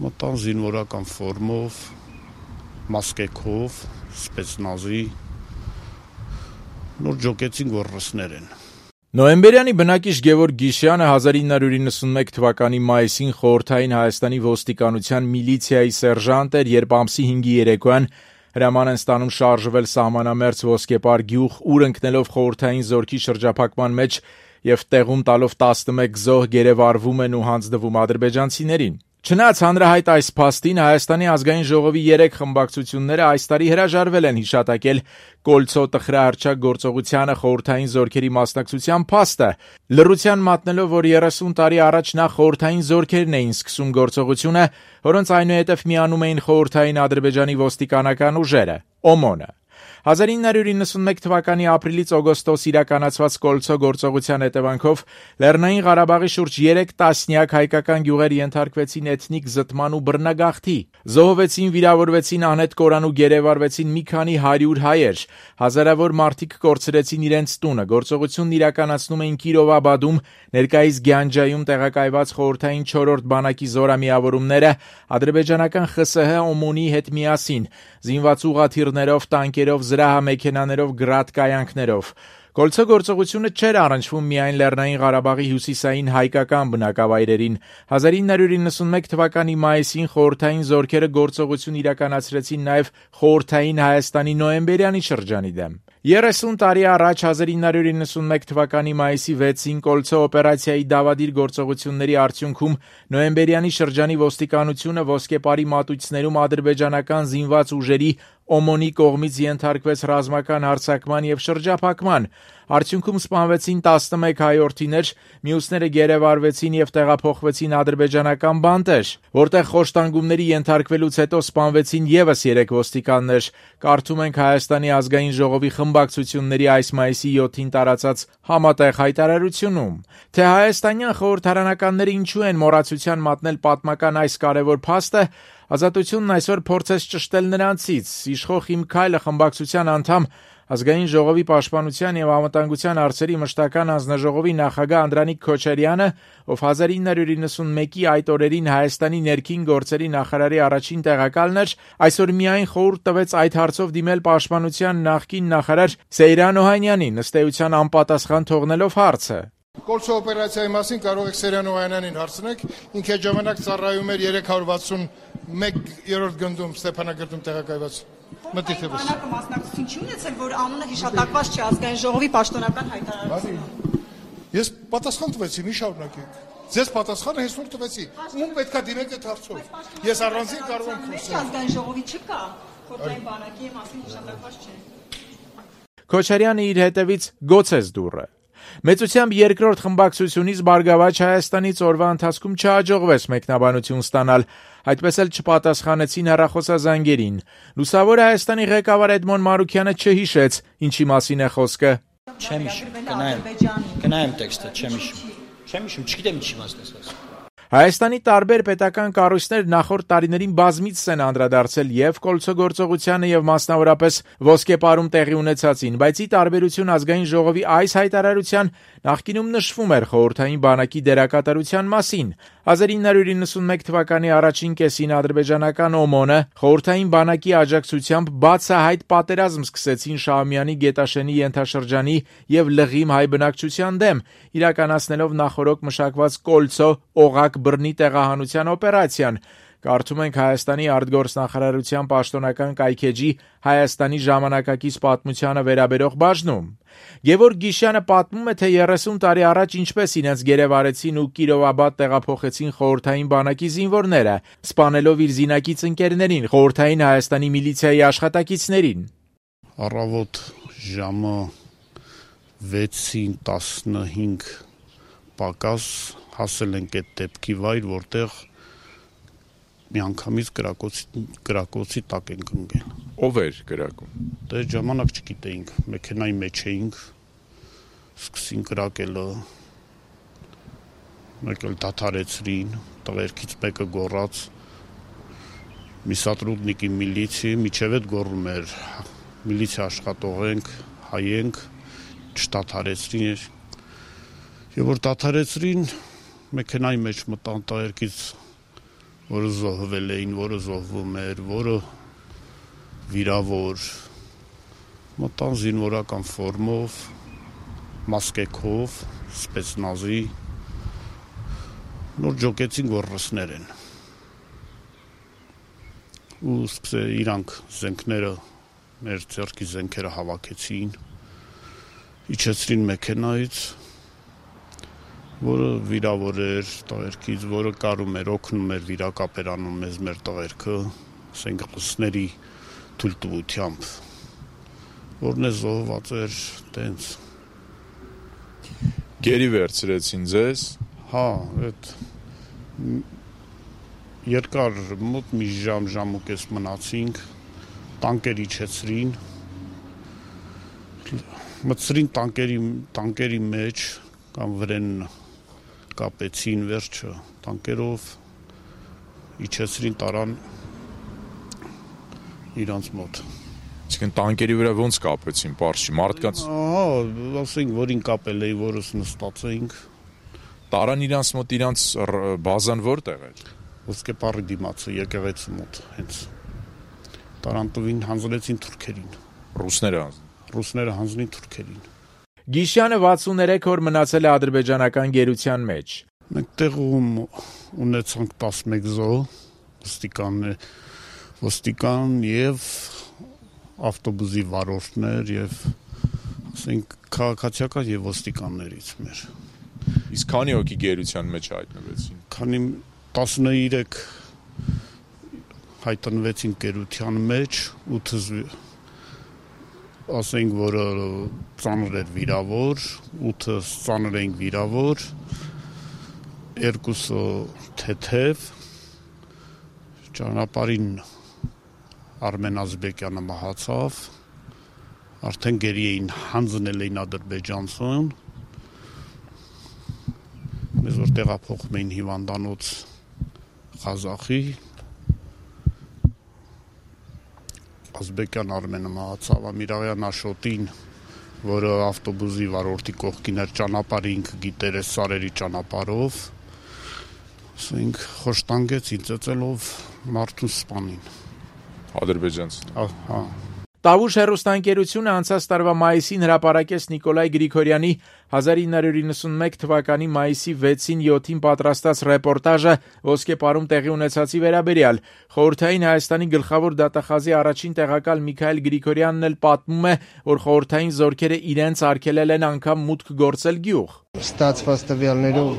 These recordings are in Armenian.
Մտան զինվորական ֆորմով, մասկեքով, սպեցնազի, նոր ջոկեցին գոռսներ են։ Նոյեմբերյանի բնակիչ Գևորգ Գիշյանը 1991 թվականի մայիսին խորհրդային Հայաստանի ոստիկանության միլիցիայի սերժանտ էր, երբ ամսի 5-ի երեկոյան հրաման են ստանում շարժվել սահմանամերձ Ոսկեպար գյուղ, ուր ընկնելով խորհրդային զորքի շրջափակման մեջ եւ տեղում տալով 11 զոհ գերեվարվում են ու հանձնվում ադրբեջանցիներին։ Չնայած հանրահայտ այս փաստին, Հայաստանի ազգային ժողովի 3 խմբակցությունները այս տարի հրաժարվել են հիշատակել Կոլցո տխրահռչակ գործողությանը խորհրդային զորքերի մասնակցության փաստը, լռության մատնելով, որ 30 տարի առաջ նախ խորհրդային զորքերն էին սկսում գործողությունը, որոնց այնուհետև միանում էին խորհրդային Ադրբեջանի ոստիկանական ուժերը, ՕՄՈՆ-ը։ 1991 թվականի ապրիլից օգոստոս իրականացված Կոլցո գործողության հետևանքով Լեռնային Ղարաբաղի շուրջ 3 տասնյակ հայկական գյուղեր ենթարկվեցին էթնիկ զտման ու բռնագաղթի։ Զոհվեցին, վիրավորվեցին, անհետ կորան ու գերեվարվեցին մի քանի 100 հայեր։ Հազարավոր մարդիկ կորցրեցին իրենց տունը։ Գործողությունն իրականացնում էին Կիրովաբադում, ներկայիս Գյանջայում տեղակայված խորհրդային 4-րդ բանակի զորամիավորումները ադրբեջանական ԽՍՀ ՕՄՈՆ-ի հետ միասին, զինված ուղղաթիռներով, տանկերով, զրահամեքենաներով, գրադկայանքներով։ Կոլցո գործողությունը չէր առնչվում միայն Լեռնային Ղարաբաղի հյուսիսային հայկական բնակավայրերին։ 1991 թվականի մայիսին խորհրդային զորքերը գործողություն իրականացրեցին նաև խորհրդային Հայաստանի նոյեմբերյանի շրջանի դեմ։ 30 տարի առաջ 1991 թվականի մայիսի 6-ին Կոլցո օպերացիայի դավադիր գործողությունների արդյունքում նոյեմբերյանի շրջանի ոստիկանությունը Ոսկեպարի մատույցներում ադրբեջանական զինված ուժերի ՕՄՈՆ-ի կողմից ենթարկվեց ռազմական հարձակման եւ շրջափակման։ Արդյունքում սպանվեցին 11 հայորդիներ, մյուսները գերեվարվեցին եւ տեղափոխվեցին ադրբեջանական բանտեր, որտեղ խոշտանգումների ենթարկվելուց հետո սպանվեցին եւս 3 ոստիկաններ։ Կարդում ենք Հայաստանի ազգային ժողովի խմբակցությունների այս մայիսի 7-ին տարածած համատեղ հայտարարությունում, թե հայաստանյան խորհրդարանականները ինչու են մոռացության մատնել պատմական այս կարևոր փաստը, Ազատությունն այսօր փորձեց ճշտել նրանցից։ Իշխող «Իմ քայլը» խմբակցության անդամ, Ազգային ժողովի պաշտպանության եւ անվտանգության հարցերի մշտական հանձնաժողովի նախագահ Անդրանիկ Քոչարյանը, ով 1991-ի այդ օրերին Հայաստանի ներքին գործերի նախարարի առաջին տեղակալն էր, այսօր միայն խորհուրդ տվեց այդ հարցով դիմել պաշտպանության նախկին նախարար Սեյրան Օհանյանին, ըստ էության անպատասխան թողնելով հարցը։ Կոլցո օպերացիայի մասին կարող եք Սեյրան Օհանյանին հարցնեք, ինքը այդ ժամանակ ծառայում էր 361-րդ գնդում Ստեփանագերտում տեղակայված։ Մտիկ եւս։ Բանակը մասնակցություն չի ունեցել, որ անունը հիշատակված չի ազգային ժողովի պաշտոնական հայտարարությունում։ Ես պատասխան տվեցի, մի շարունակեք։ Ձեզ պատասխանը հեսօր տվեցի։ Ում պետքա դիմեք այդ հարցով։ Ես առանձին կարող եմ խոսել։ Ազգային ժողովի չկա, խորհրդային բանակի մասին հիշատակված չէ։ Քոչարյանը իր հետևից գոցեց դուռը։ Մեծությամբ երկրորդ խմբակցությունից Բարգավաճ Հայաստանից օրվա ընթացքում չհաջողվեց մեկնաբանություն ստանալ, այդպես էլ չպատասխանեցին հեռախոսազանգերին։ Լուսավոր Հայաստանի ղեկավար Էդմոն Մարուքյանը չհիշեց, ինչի մասին է խոսքը։ Չեմ հիշում, կնայեմ տեքստը, չեմ հիշում, չգիտեմ ինչի մասն ես ասում։ Հայաստանի տարբեր պետական կառույցներ նախորդ տարիներին բազմիցս են անդրադարձել եւ Կոլցո գործողությանը եւ մասնավորապես Ոսկեպարում տեղի ունեցածին, բայց ի տարբերություն ազգային ժողովի այս հայտարարության նախկինում նշվում էր խորհրդային բանակի դերակատարության մասին։ 1991 թվականի առաջին կեսին ադրբեջանական ՕՄՈՆ-ը խորհրդային բանակի աջակցությամբ բացահայտ պատերազմ սկսեցին Շահումյանի Գետաշենի ենթաշրջանի եւ Լղիմ հայ բնակչության դեմ, իրականացնելով նախորոք մշակված Կոլցո օղակ բռնի տեղահանության օպերացիան։ Կարդում ենք Հայաստանի արտգործնախարարության պաշտոնական կայքեջի Հայաստանի ժամանակակից պատմությանը վերաբերող բաժնում։ Գևորգ Գիշյանը պատմում է, թե 30 տարի առաջ ինչպես իրենց գերեվարեցին ու Կիրովաբադ տեղափոխեցին խորհրդային բանակի զինվորները, սպանելով իր զինակից ընկերներին, խորհրդային Հայաստանի միլիցիայի աշխատակիցներին։ Առավոտ ժամը 6:15 պակաս հասել ենք այդ դեպքի վայր, որտեղ միանգամից կրակոցի տակ ենք ընկել։ Ով էր կրակում։ Դե ժամանակ չգիտեինք, մեքենայի մեջ էինք, սկսին կրակելը, մեկ էլ դադարեցրին, տղերքից մեկը գոռաց, մի սատրուդնիկի միլիցի, միջև այդ գոռում էր, միլիցիա աշխատող ենք, հայ ենք, չդադարեցրին, եւ որ դադարեցրին, մեքենայի մեջ մտան տղերքից որը զոհվել էին, որը զոհվում էր, որը վիրավոր, մտան զինվորական ֆորմով, մասկեքով, սպեցնազի, նոր ջոկեցին, որ ռուսներ են։ Ու իրանք զենքները, մեր ձեռքի զենքերը հավաքեցին, իջեցրին մեքենայից, որը վիրավոր էր տղերքից, որը կարում էր, օգնում էր վիրակապերանում մեզ մեր տղերքը, ասենք ռուսների թույլտվությամբ, որն է զոհված էր տենց։ Գերի վերցրեցին ձեզ։ Հա, այդ երկար մոտ մի ժամ ու կես մնացինք, տանկեր իջեցրին, մտցրին տանկերի մեջ կամ վրեն կապեցին վերջը տանկերով, իջեցրին տարան իրանց մոտ։ Իսկ տանկերի վրա ոնց կապեցին, պարզի մարդկանց։ Ահա, ասենք որին կապել էի, որս նստած էինք։ Տարան իրանց մոտ, իրանց բազան որտեղ էր։ Ոսկեպարի դիմացը եկեղեցու մոտ, հենց տարան տվին, հանձնեցին թուրքերին։ Ռուսները հանձնին թուրքերին։ Գիշյանը 63 օր մնացել է ադրբեջանական գերության մեջ։ Մենք տեղում ունեցանք 11 զոհ, ոստիկան եւ ավտոբուսի վարորդներ եւ ասենք քաղաքացիական եւ ոստիկաններից մեր։ Իսկ քանի հոգի գերության մեջ հայտնվեցին։ Քանի 13 հայտնվեցին գերության մեջ, 8 ասենք, որը ծանր էր վիրավոր, 8 ծանր էին վիրավոր, 2 թեթև, ճանապարհին Արմեն Ազբեկյանը մահացավ, արդեն գերի էին հանձնել էին ադրբեջանցուն, մեզ որ տեղափոխում էին հիվանդանոց Ղազախի, Ազբեկյան Արմենը մահացավ, Ամիրաղյան Աշոտին, որը ավտոբուսի վարորդի կողքին էր ճանապարհը ինքը գիտեր այս սարերի ճանապարհով, ասենք խոշտանգեցին ծեծելով մարդուն սպանին։ Ադրբեջանցին։ Հա։ Տավուշ հեռուստաընկերությունը անցած տարվա մայիսին հրապարակեց Նիկոլայ Գրիգորյանի 1991 թվականի մայիսի 6-ին 7-ին պատրաստած ռեպորտաժը ոսկեպարում տեղի ունեցածի վերաբերյալ։ Խորհրդային Հայաստանի գլխավոր դատախազի առաջին տեղակալ Միքայել Գրիգորյանն էլ պատմում է, որ խորհրդային զորքերը իրենց արգելել են անգամ մուտք գործել գյուղ։ Ստացված տվյալներով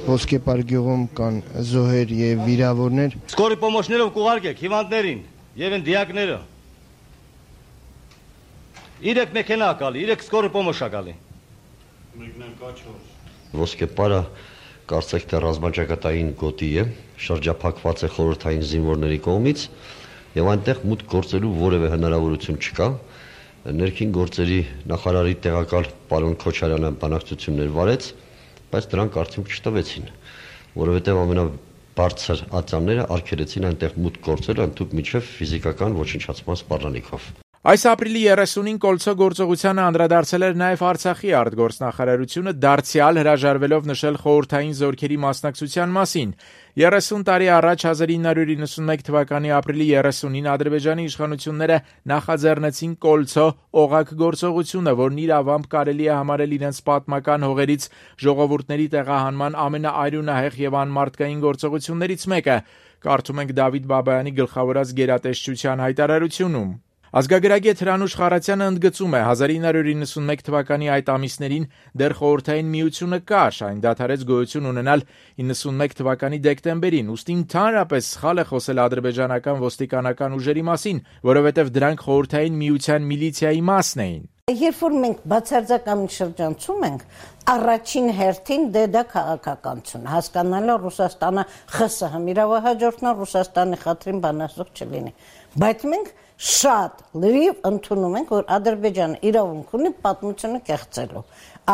Ոսկեպար գյուղում կան զոհեր եւ վիրավորներ։ Սկորի պոմոշներով կուղարկեք հիվանդներին եւ են դիակները։ 3 մեքենա ակալի, 3 սկորի պոմոշ ակալի։ Մեկնան կաչոր։ Ոսկեպարը կարծեք թե ռազմաճակատային գոտի է, շրջափակված է խորհրդային զինվորների կողմից եւ այնտեղ մուտք գործելու որևէ հնարավորություն չկա։ Ներքին գործերի նախարարի տեղակալ պարոն Քոչարյանը բանակցություններ վարեց, բայց դրանք արդյունք չտվեցին, որովհետև ամենաբարձր ածանները արգելեցին այնտեղ մուտք գործել ընդհանուր միջև ֆիզիկական ոչնչացման սպառնալիքով։ Այս ապրիլի 30-ին Կոլցո գործողությանը անդրադարձել էր նաև Արցախի արտգործնախարարությունը, դարձյալ հրաժարվելով նշել խորհրդային զորքերի մասնակցության մասին։ 30 տարի առաջ 1991 թվականի ապրիլի 30-ին Ադրբեջանի իշխանությունները նախաձեռնեցին Կոլցո օղակ գործողությունը, որն իր ավամբ կարելի է համարել իրենց պատմական հողերից ժողովուրդների տեղահանման ամենաարյունահեղ եւ անմարդկային գործողություններից մեկը։ Կարդում ենք Դավիթ Բաբայանի գլխավորած գերատեսչության հայտարարությունում։ Ազգագրագետ Հրանուշ Խարացյանը ընդգծում է 1991 թվականի այդ ամիսներին դեռ խորհրդային միությունը կար, այն դադարեց գոյություն ունենալ 91 թվականի դեկտեմբերին, ուստի ընդհանրապես սխալ է խոսել ադրբեջանական ոստիկանական ուժերի մասին, որովհետև դրանք խորհրդային միության միլիցիայի մասն էին։ Երբ որ մենք բացարձակամին շրջանցում ենք, առաջին հերթին դա քաղաքականություն, հասկանալը Ռուսաստանը ԽՍՀՄ իրավահաջորդն է, Ռուսաստանի խաթրին բանասող չլինի, բայց մենք շատ լրիվ ընդունում ենք, որ Ադրբեջանը իրավունք ունի պատմությունը կեղծելու,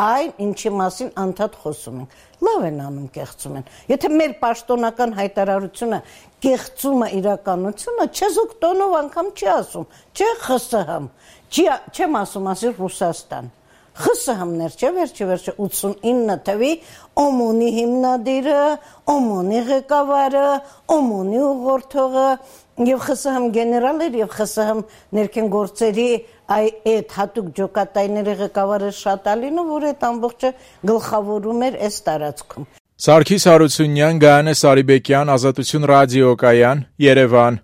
այն ինչի մասին անդադ խոսում ենք, լավ են անում կեղծում են, եթե մեր պաշտոնական հայտարարությունը կեղծում է իրականությունը, չեզոք տոնով անգամ չի ասում, չէ ԽՍՀՄ, չեմ ասում ասի Ռուսաստան, ԽՍՀՄ-ներ չէ, վերջը 89 թվի ՕՄՈՆ-ի հիմնադիրը, ՕՄՈՆ-ի ղեկավարը, ՕՄՈՆ-ի ուղղորդողը եւ ԽՍՀՄ գեներալներ եւ ԽՍՀՄ ներքին գործերի այդ հատուկ ջոկատայների ղեկավարը Շատալինը, որ այդ ամբողջը գլխավորում էր այս տարածքում։ Սարգիս Հարությունյան, Գայանե Սարիբեկյան, Ազատություն ռադիոկայան, Երևան։